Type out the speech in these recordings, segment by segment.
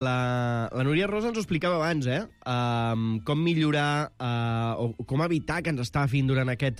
La Núria Rosa ens ho explicava abans, com millorar o com evitar que ens estafin durant aquest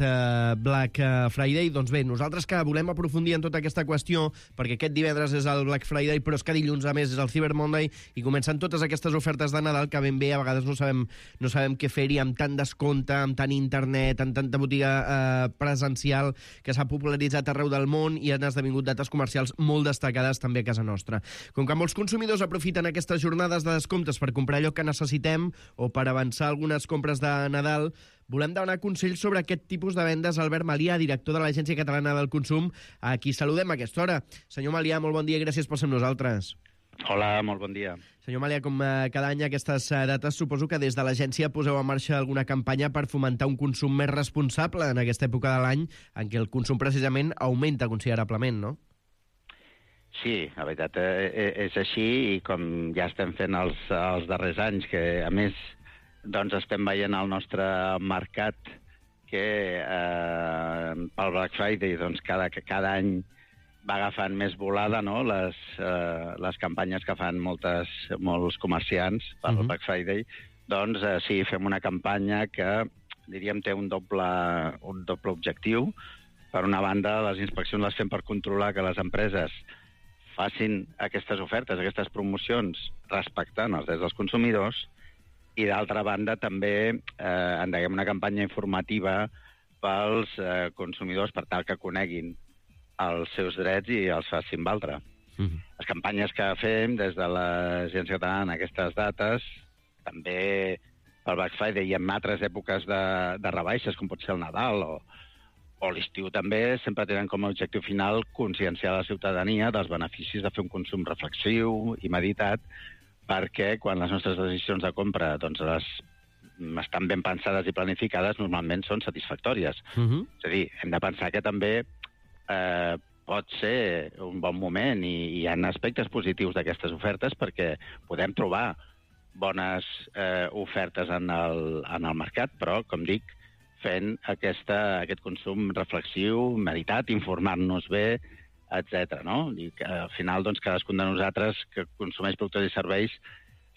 Black Friday. Doncs bé, nosaltres que volem aprofundir en tota aquesta qüestió, perquè aquest divendres és el Black Friday, però és que dilluns a més és el Cyber Monday i comencen totes aquestes ofertes de Nadal que ben bé a vegades no sabem què fer-hi amb tant descompte, amb tant internet, amb tanta botiga presencial que s'ha popularitzat arreu del món i han esdevingut dates comercials molt destacades també a casa nostra. Com que molts consumidors aprofiten aquestes jornades de descomptes per comprar allò que necessitem o per avançar algunes compres de Nadal, volem demanar consells sobre aquest tipus de vendes a Albert Malià, director de l'Agència Catalana del Consum, a qui saludem a aquesta hora. Senyor Malià, molt bon dia i gràcies per ser amb nosaltres. Hola, molt bon dia. Senyor Malià, com cada any a aquestes dates, suposo que des de l'agència poseu en marxa alguna campanya per fomentar un consum més responsable en aquesta època de l'any en què el consum precisament augmenta considerablement, no? Sí, la veritat és així, i com ja estem fent els darrers anys, que a més doncs estem veient al nostre mercat que pel Black Friday doncs cada any va agafant més volada, no? Les campanyes que fan molts comerciants pel Black Friday, doncs sí, fem una campanya que diríem té un doble objectiu. Per una banda, les inspeccions les fem per controlar que les empreses facin aquestes ofertes, aquestes promocions, respectant els drets dels consumidors, i d'altra banda també endeguem una campanya informativa pels consumidors per tal que coneguin els seus drets i els facin valdre. Les campanyes que fem des de l'Agència Catalana en aquestes dates, també pel Black Friday i en altres èpoques de rebaixes, com pot ser el Nadal o l'estiu també, sempre tenen com a objectiu final conscienciar la ciutadania dels beneficis de fer un consum reflexiu i meditat, perquè quan les nostres decisions de compra doncs, estan ben pensades i planificades, normalment són satisfactòries. És a dir, hem de pensar que també pot ser un bon moment i hi ha aspectes positius d'aquestes ofertes perquè podem trobar bones ofertes en el mercat, però, com dic, fent aquest consum reflexiu, meditat, informar-nos bé, etc. No? I que, al final, doncs, cadascun de nosaltres que consumeix productes i serveis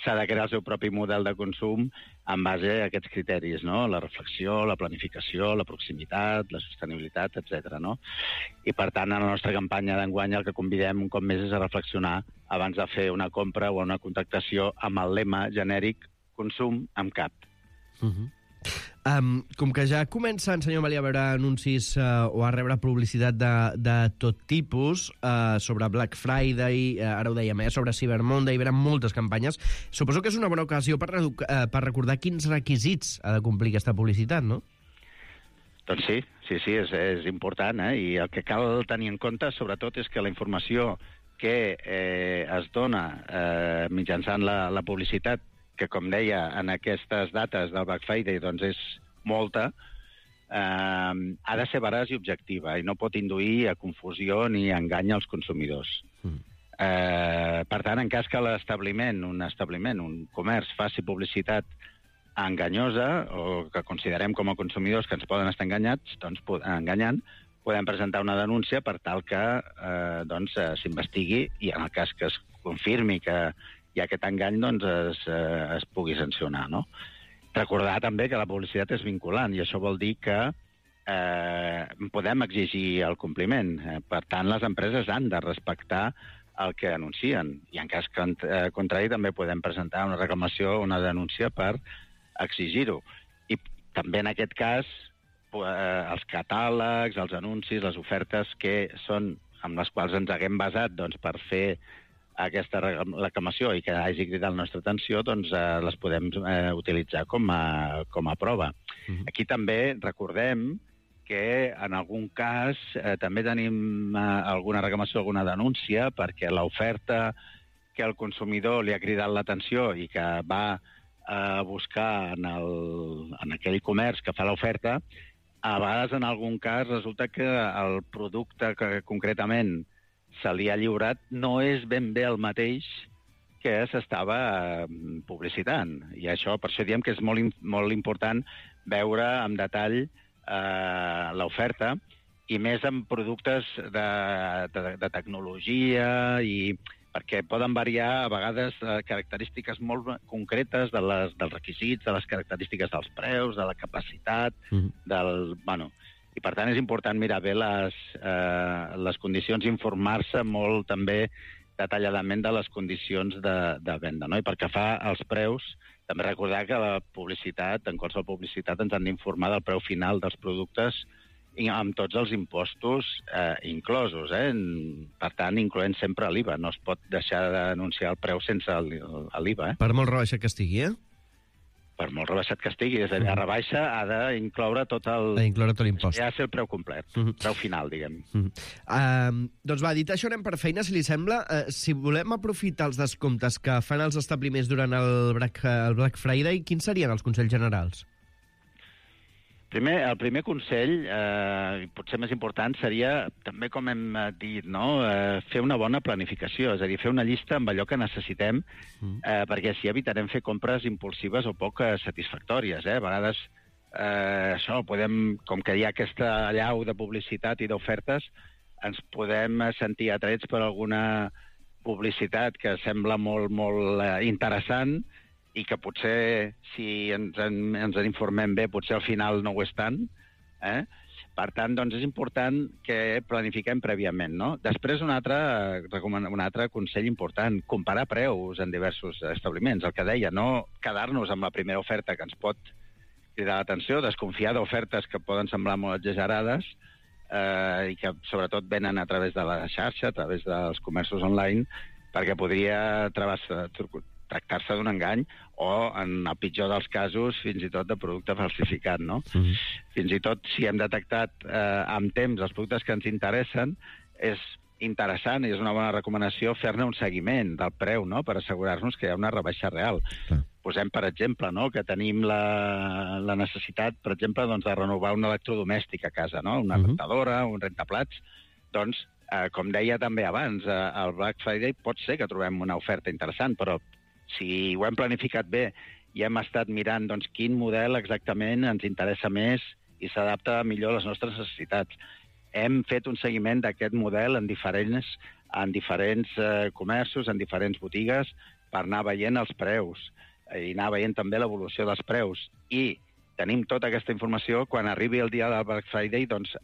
s'ha de crear el seu propi model de consum en base a aquests criteris, no? La reflexió, la planificació, la proximitat, la sostenibilitat, etc. No? I, per tant, en la nostra campanya d'enguany el que convidem un cop més és a reflexionar abans de fer una compra o una contractació amb el lema genèric consum amb cap. Com que ja comencen, senyor Malià, a veure anuncis o a rebre publicitat de tot tipus sobre Black Friday, ara ho dèiem, sobre Cyber Monday, hi haurà moltes campanyes. Suposo que és una bona ocasió per recordar quins requisits ha de complir aquesta publicitat, no? Doncs sí, és important, i el que cal tenir en compte, sobretot, és que la informació que es dona mitjançant la publicitat, que, com deia, en aquestes dates del Black Friday doncs és molta, ha de ser veraç i objectiva i no pot induir a confusió ni a engany als consumidors. Per tant, en cas que un comerç faci publicitat enganyosa o que considerem com a consumidors que ens poden estar enganyant, podem presentar una denúncia per tal que s'investigui i en el cas que es confirmi que i aquest engany es pugui sancionar, no? Recordar també que la publicitat és vinculant i això vol dir que podem exigir el compliment. Per tant, les empreses han de respectar el que anuncien i en cas contrari també podem presentar una reclamació o una denúncia per exigir-ho. I també en aquest cas els catàlegs, els anuncis, les ofertes que són amb les quals ens haguem basat per fer aquesta reclamació i que hagi cridat la nostra atenció, doncs les podem utilitzar com a prova. Aquí també recordem que en algun cas també tenim alguna reclamació, alguna denúncia, perquè l'oferta que el consumidor li ha cridat l'atenció i que va a buscar en aquell comerç que fa l'oferta, a vegades en algun cas resulta que el producte que concretament se li ha lliurat no és ben bé el mateix que s'estava publicitant. I això, per això diem que és molt important veure en detall l'oferta i més en productes de tecnologia i perquè poden variar a vegades característiques molt concretes dels requisits, de les característiques dels preus, de la capacitat, i per tant és important mirar bé les condicions, informar-se molt també detalladament de les condicions de venda, no? I pel que fa als preus, també recordar que la publicitat, en qualsevol publicitat, ens han d'informar del preu final dels productes amb tots els impostos inclosos. Per tant, incloent sempre l'IVA. No es pot deixar d'anunciar el preu sense l'IVA. Per molt rebaixat que estigui, Per molt rebaixat que estigui. És a dir, la rebaixa ha d'incloure tot l'impost. Ja ser el preu complet, preu final, diguem. Doncs va, dit això, anem per feina, si li sembla. Si volem aprofitar els descomptes que fan els establiments durant el Black Friday, quins serien els consells generals? El primer consell, potser més important, seria, també com hem dit, fer una bona planificació, és a dir, fer una llista amb allò que necessitem, perquè així evitarem fer compres impulsives o poc satisfactòries. A vegades, com que hi ha aquesta allau de publicitat i d'ofertes, ens podem sentir atrets per alguna publicitat que sembla molt, molt interessant, i que potser, si ens en informem bé, potser al final no ho és tant. Per tant, doncs és important que planifiquem prèviament, no? Després, un altre consell important, comparar preus en diversos establiments. El que deia, no quedar-nos amb la primera oferta que ens pot cridar l'atenció, desconfiar d'ofertes que poden semblar molt exagerades i que sobretot venen a través de la xarxa, a través dels comerços online, perquè podria tractar-se d'un engany o, en el pitjor dels casos, fins i tot de producte falsificat, no? Fins i tot, si hem detectat amb temps els productes que ens interessen, és interessant i és una bona recomanació fer-ne un seguiment del preu, no?, per assegurar-nos que hi ha una rebaixa real. Posem, per exemple, que tenim la necessitat, per exemple, de renovar un electrodomèstic a casa, no?, una rentadora, un rentaplats. Doncs, com deia també abans, al Black Friday pot ser que trobem una oferta interessant, però si ho hem planificat bé i hem estat mirant quin model exactament ens interessa més i s'adapta millor a les nostres necessitats. Hem fet un seguiment d'aquest model en diferents comerços, en diferents botigues, per anar veient els preus i anar veient també l'evolució dels preus. I tenim tota aquesta informació. Quan arribi el dia del Black Friday, doncs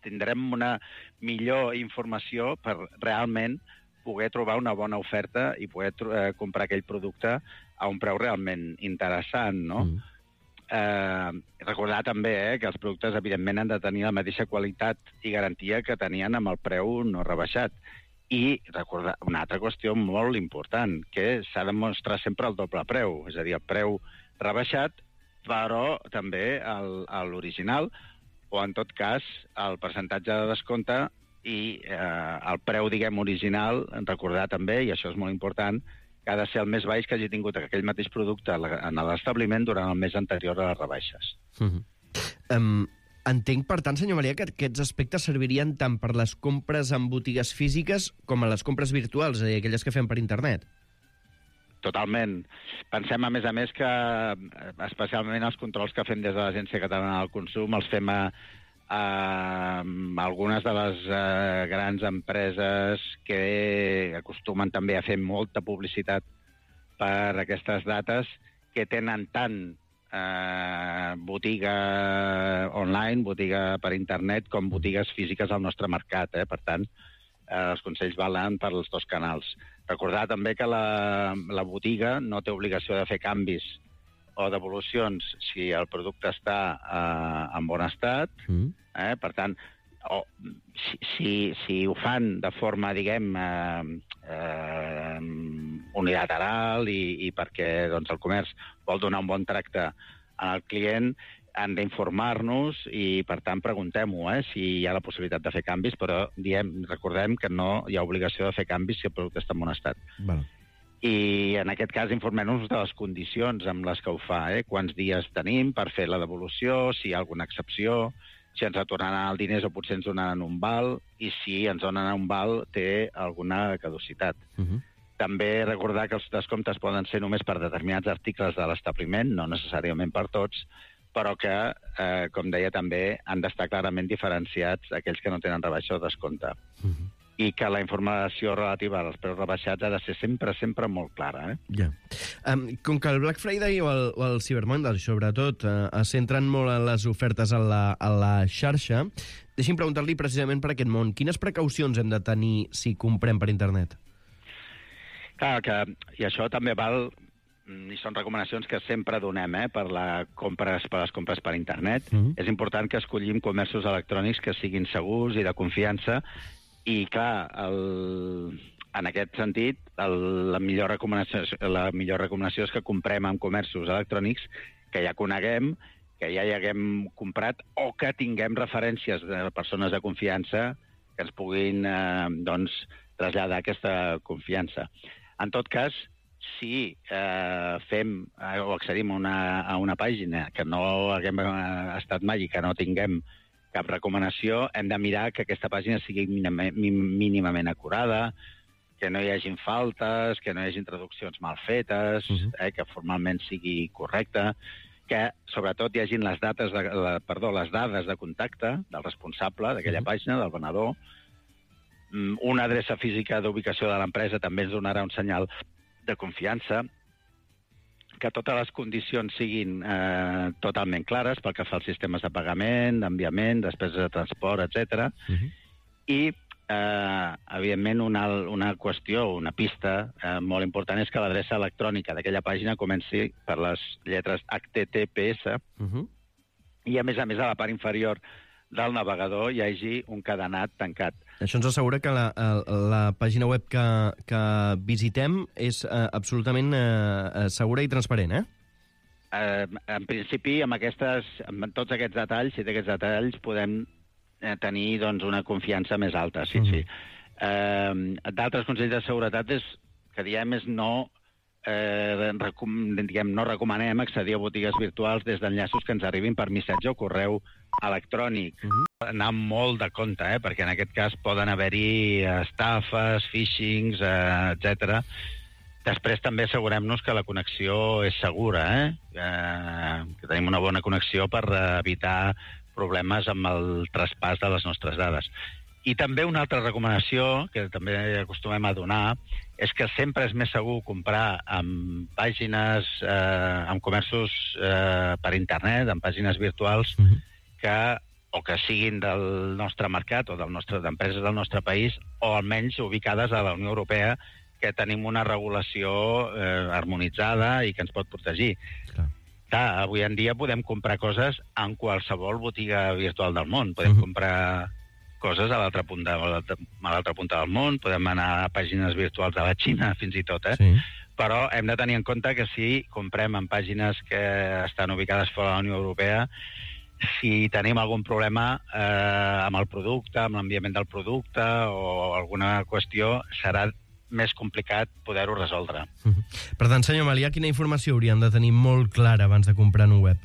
tindrem una millor informació per realment poder trobar una bona oferta i poder comprar aquell producte a un preu realment interessant, no? Recordar també que els productes, evidentment, han de tenir la mateixa qualitat i garantia que tenien amb el preu no rebaixat. I recordar una altra qüestió molt important, que s'ha de mostrar sempre el doble preu, és a dir, el preu rebaixat, però també l'original, o en tot cas el percentatge de descompte i el preu, diguem, original, recordar també, i això és molt important, que ha de ser el més baix que hagi tingut aquell mateix producte en l'establiment durant el mes anterior a les rebaixes. Entenc, per tant, senyor Maria, que aquests aspectes servirien tant per les compres en botigues físiques com a les compres virtuals, és a dir, aquelles que fem per internet. Totalment. Pensem, a més, que especialment els controls que fem des de l'Agència Catalana del Consum els fem a algunes de les grans empreses que acostumen també a fer molta publicitat per aquestes dates, que tenen tant botiga online, botiga per internet, com botigues físiques al nostre mercat. Per tant, els consells valen per els dos canals. Recordar també que la botiga no té obligació de fer canvis o devolucions si el producte està en bon estat. Per tant, si ho fan de forma, diguem, unilateral i perquè el comerç vol donar un bon tracte al client, han d'informar-nos i, per tant, preguntem-ho, si hi ha la possibilitat de fer canvis, però recordem que no hi ha obligació de fer canvis si el producte està en bon estat. I, en aquest cas, informem-nos de les condicions amb les que ho fa, quants dies tenim per fer la devolució, si hi ha alguna excepció, si ens retornaran els diners o potser ens donaran un val, i si ens donen un val té alguna caducitat. També recordar que els descomptes poden ser només per determinats articles de l'establiment, no necessàriament per tots, però que, com deia també, han d'estar clarament diferenciats aquells que no tenen rebaixa o descompte. i que la informació relativa als preus rebaixats ha de ser sempre, sempre molt clara. Ja. Com que el Black Friday o el Cyber Monday, sobretot, es centren molt en les ofertes a la xarxa, deixi'm preguntar-li precisament per aquest món. Quines precaucions hem de tenir si comprem per internet? Clar, i això també val, i són recomanacions que sempre donem per les compres per internet. És important que escollim comerços electrònics que siguin segurs i de confiança. I, clar, en aquest sentit, la millor recomanació és que comprem en comerços electrònics que ja coneguem, que ja hi haguem comprat, o que tinguem referències de persones de confiança que ens puguin traslladar aquesta confiança. En tot cas, si fem o accedim a una pàgina que no haguem estat mai i que no tinguem cap recomanació, hem de mirar que aquesta pàgina sigui mínimament acurada, que no hi hagin faltes, que no hi hagin traduccions mal fetes, que formalment sigui correcta, que sobretot hi hagin les dades de contacte del responsable d'aquella pàgina, del venedor. Una adreça física d'ubicació de l'empresa també ens donarà un senyal de confiança, que totes les condicions siguin totalment clares pel que fa als sistemes de pagament, d'enviament, despeses de transport, etc. I, evidentment, una qüestió, una pista molt important és que l'adreça electrònica d'aquella pàgina comenci per les lletres HTTPS i, a més, a la part inferior del navegador hi hagi un cadenat tancat. Això ens assegura que la pàgina web que visitem és absolutament segura i transparent, En principi, amb tots aquests detalls, si té aquests detalls, podem tenir una confiança més alta, sí. D'altres consells de seguretat que diem és no recomanem accedir a botigues virtuals des d'enllaços que ens arribin per missatge o correu electrònic. Anar molt de compte, perquè en aquest cas poden haver-hi estafes, phishings, etc. Després també assegurem-nos que la connexió és segura, que tenim una bona connexió per evitar problemes amb el traspàs de les nostres dades. I també una altra recomanació, que també acostumem a donar, és que sempre és més segur comprar en pàgines, en comerços per internet, en pàgines virtuals, o que siguin del nostre mercat o d'empreses del nostre país, o almenys ubicades a la Unió Europea, que tenim una regulació harmonitzada i que ens pot protegir. Clar, avui en dia podem comprar coses en qualsevol botiga virtual del món. Podem comprar coses a l'altra punta del món, podem anar a pàgines virtuals de la Xina, fins i tot, Però hem de tenir en compte que si comprem en pàgines que estan ubicades fora de la Unió Europea, si tenim algun problema amb el producte, amb l'enviament del producte o alguna qüestió, serà més complicat poder-ho resoldre. Per tant, senyor Melià, quina informació haurien de tenir molt clara abans de comprar en un web?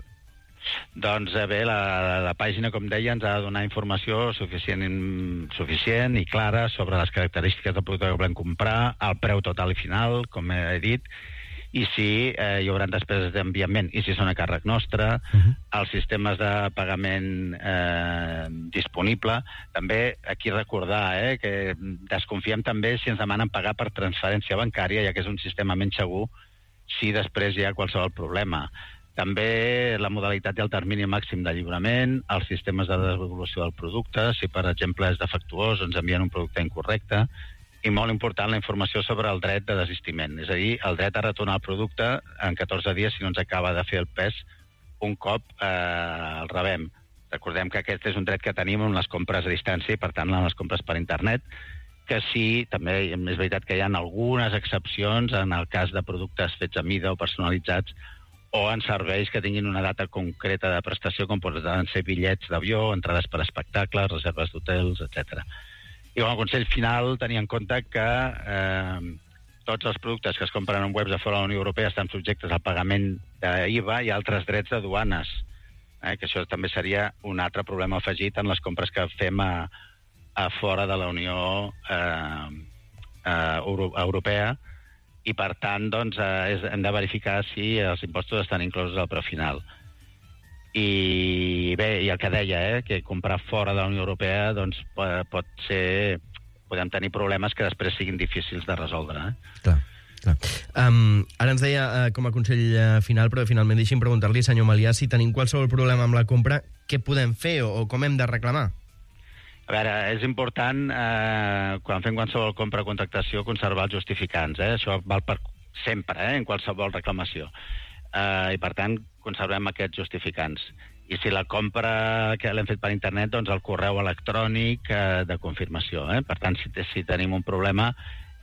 Doncs bé, la pàgina, com deia, ens ha de donar informació suficient i clara sobre les característiques del producte que volem comprar, el preu total i final, com he dit, i si hi haurà despeses d'enviament i si són a càrrec nostre, els sistemes de pagament disponible. També aquí recordar que desconfiem també si ens demanen pagar per transferència bancària, ja que és un sistema menys segur si després hi ha qualsevol problema. També la modalitat i el termini màxim de lliurament, els sistemes de devolució del producte, si per exemple és defectuós o ens envien un producte incorrecte, i molt important la informació sobre el dret de desistiment, és a dir, el dret a retornar el producte en 14 dies si no ens acaba de fer el pes un cop el rebem. Recordem que aquest és un dret que tenim en les compres a distància i per tant en les compres per internet, que sí, també és veritat que hi ha algunes excepcions en el cas de productes fets a mida o personalitzats o en serveis que tinguin una data concreta de prestació, com poden ser bitllets d'avió, entrades per espectacles, reserves d'hotels, etc. I com a consell final, tenir en compte que tots els productes que es compren en webs de fora de la Unió Europea estan subjectes al pagament d'IVA i altres drets de duanes, que això també seria un altre problema afegit en les compres que fem a fora de la Unió Europea, i per tant hem de verificar si els impostos estan inclosos al preu final. I bé, i el que deia, que comprar fora de la Unió Europea pot ser podem tenir problemes que després siguin difícils de resoldre. Clar. Ara ens deia com a consell final, però finalment deixi'm preguntar-li, senyor Melià, si tenim qualsevol problema amb la compra, què podem fer o com hem de reclamar? A veure, és important, quan fem qualsevol compra o contractació, conservar els justificants. Això val per sempre, en qualsevol reclamació. I, per tant, conservem aquests justificants. I si la compra que l'hem fet per internet, doncs el correu electrònic de confirmació. Per tant, si tenim un problema,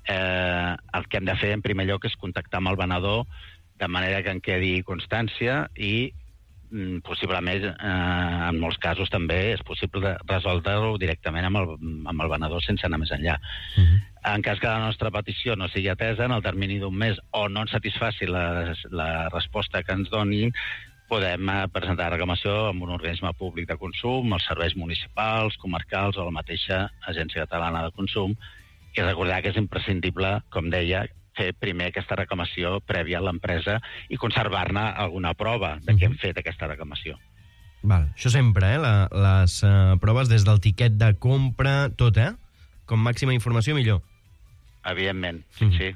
el que hem de fer en primer lloc és contactar amb el venedor de manera que en quedi constància i possiblement en molts casos també és possible resoldre-ho directament amb el venedor sense anar més enllà. En cas que la nostra petició no sigui atesa en el termini d'un mes o no ens satisfaci la resposta que ens donin, podem presentar reclamació amb un organisme públic de consum, els serveis municipals, comarcals o la mateixa Agència Catalana de Consum. I recordar que és imprescindible, com deia, fer primer aquesta reclamació prèvia a l'empresa i conservar-ne alguna prova de que hem fet aquesta reclamació. Val. Això sempre, les proves des del tiquet de compra, tot, Com màxima informació, millor. Evidentment, sí.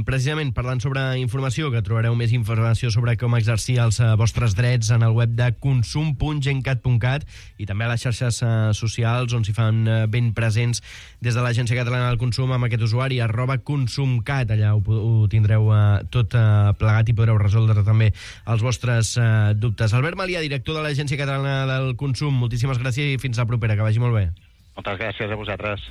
Precisament, parlant sobre informació, que trobareu més informació sobre com exercir els vostres drets en el web de consum.gencat.cat i també a les xarxes socials on s'hi fan ben presents des de l'Agència Catalana del Consum amb aquest usuari @consumcat. Allà ho tindreu tot plegat i podreu resoldre també els vostres dubtes. Albert Melià, director de l'Agència Catalana del Consum, moltíssimes gràcies i fins la propera, que vagi molt bé. Moltes gràcies a vosaltres.